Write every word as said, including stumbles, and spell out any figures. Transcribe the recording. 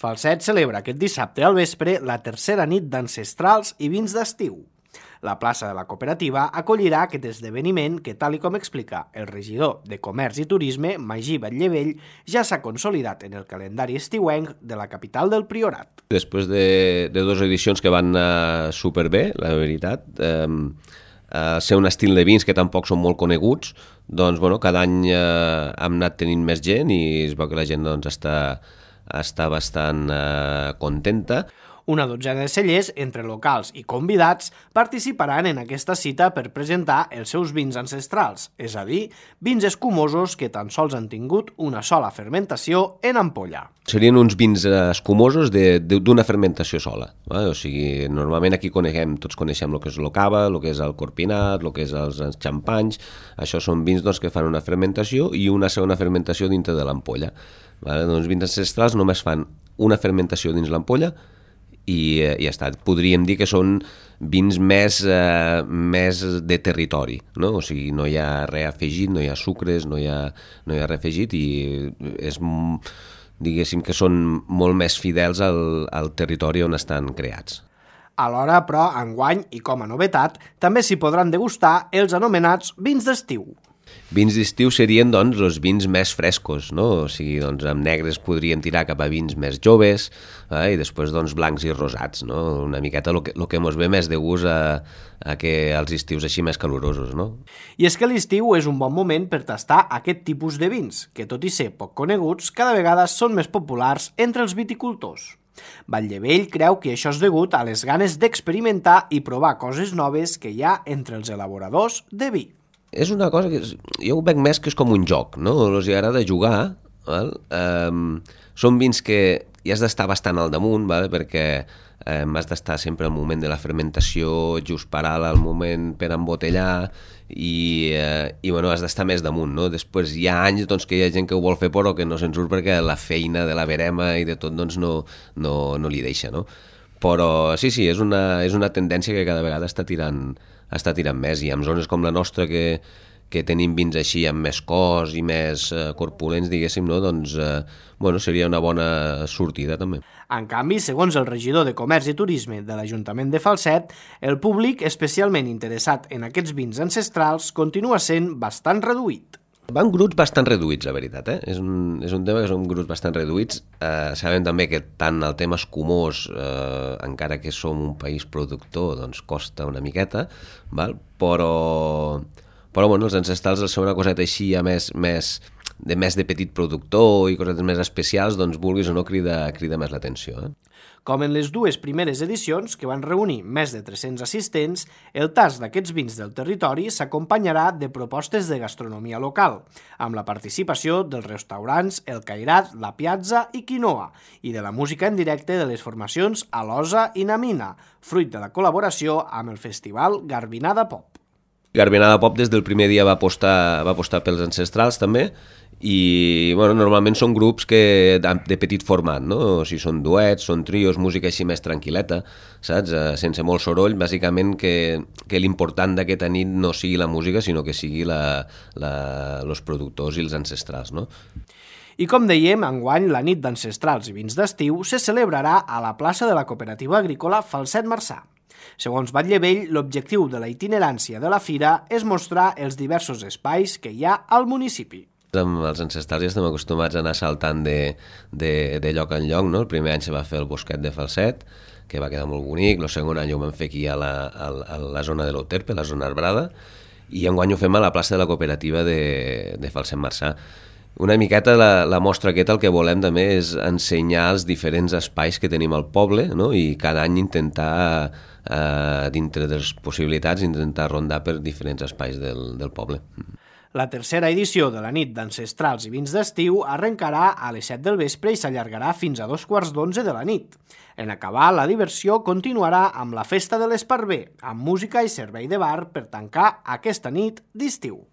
Falset celebra aquest dissabte al vespre la tercera nit d'ancestrals i vins d'estiu. La plaça de la cooperativa acollirà aquest esdeveniment que, tal i com explica el regidor de Comerç i Turisme, Magí Batllevell, ja s'ha consolidat en el calendari estiuenc de la capital del Priorat. Després de, de dues edicions que van anar superbé, la veritat, eh, eh, ser un estil de vins que tampoc són molt coneguts, doncs bueno, cada any eh, hem anat tenint més gent i es veu que la gent doncs, està, està bastant eh, contenta. Una dotzena de cellers, entre locals i convidats, participaran en aquesta cita per presentar els seus vins ancestrals, és a dir, vins escumosos que tan sols han tingut una sola fermentació en ampolla. Serien uns vins escumosos d'una fermentació sola. Eh? O sigui, normalment aquí coneixem, tots coneixem el que és el cava, el que és el corpinat, el que és els xampanys. Això són vins doncs, que fan una fermentació i una segona fermentació dintre de l'ampolla. Vale? Doncs vins ancestrals només fan una fermentació dins l'ampolla i ja està. Podríem dir que són vins més, eh, més de territori, no? O sigui, no hi ha res afegit, no hi ha sucres, no hi ha, no hi ha res afegit i és, diguéssim que són molt més fidels al, al territori on estan creats. Alhora, però, enguany, i com a novetat, també s'hi podran degustar els anomenats vins d'estiu. Vins d'estiu serien, doncs, els vins més frescos, no? O sigui, doncs, amb negres podríem tirar cap a vins més joves, eh? I després, doncs, blancs i rosats, no? Una miqueta el que, el que mos ve més de gust a, a que els estius així més calorosos, no? I és que l'estiu és un bon moment per tastar aquest tipus de vins, que tot i ser poc coneguts, cada vegada són més populars entre els viticultors. Batllevell creu que això és degut a les ganes d'experimentar i provar coses noves que hi ha entre els elaboradors de vi. És una cosa que jo ho veig més que és com un joc, no? Els agrada jugar, val? Um, són vins que hi has d'estar bastant al damunt, val? Perquè um, has d'estar sempre al moment de la fermentació, just parar al moment per embotellar i, uh, i bueno, has d'estar més damunt, no? Després hi ha anys doncs, que hi ha gent que ho vol fer però que no se'n surt perquè la feina de la verema i de tot doncs, no, no, no li deixa, no? Però sí, sí, és una, és una tendència que cada vegada està tirant, està tirant més i en zones com la nostra que, que tenim vins així amb més cos i més eh, corpulents, diguéssim, no? Doncs eh, bueno, seria una bona sortida també. En canvi, segons el regidor de Comerç i Turisme de l'Ajuntament de Falset, el públic especialment interessat en aquests vins ancestrals continua sent bastant reduït. Van grups bastant reduïts, la veritat, eh? És un, és un tema que són grups bastant reduïts. Eh, sabem també que tant el tema escumós, eh, encara que som un país productor, doncs costa una miqueta, val? Però, però bueno, els ancestrals, al ser una coseta així ja més, més, de més de petit productor i cosetes més especials, doncs vulguis o no crida, crida més l'atenció, eh? Com en les dues primeres edicions, que van reunir més de tres-cents assistents, el tast d'aquests vins del territori s'acompanyarà de propostes de gastronomia local, amb la participació dels restaurants El Cairat, La Piazza i Quinoa, i de la música en directe de les formacions Alosa i Namina, fruit de la col·laboració amb el festival Garbinada Pop. Garbinada Pop des del primer dia va apostar, va apostar pels ancestrals també i bueno, normalment són grups que, de, de petit format, no? O sigui, són duets, són trios, música així més tranquil·leta, saps? Eh, sense molt soroll, bàsicament que, que l'important d'aquesta nit no sigui la música, sinó que sigui la, la, els productors i els ancestrals, no? I com dèiem, enguany la nit d'ancestrals i vins d'estiu se celebrarà a la plaça de la Cooperativa Agrícola Falset Marçà. Segons Batllevell, l'objectiu de la itinerància de la fira és mostrar els diversos espais que hi ha al municipi. Amb els ancestrals ja estem acostumats a anar saltant de, de, de lloc en lloc, no? El primer any se va fer el bosquet de Falset, que va quedar molt bonic, el segon any ho vam fer aquí a la, a, a la zona de l'Euterpe, la zona arbrada, i enguany ho fem a la plaça de la Cooperativa de, de Falset Marçà. Una miqueta la, la mostra aquesta el que volem també és ensenyar els diferents espais que tenim al poble, no? I cada any intentar, eh, dintre de les possibilitats, intentar rondar per diferents espais del, del poble. La tercera edició de la nit d'ancestrals i vins d'estiu arrencarà a les set del vespre i s'allargarà fins a dos quarts d'onze de la nit. En acabar, la diversió continuarà amb la festa de l'Esparver, amb música i servei de bar per tancar aquesta nit d'estiu.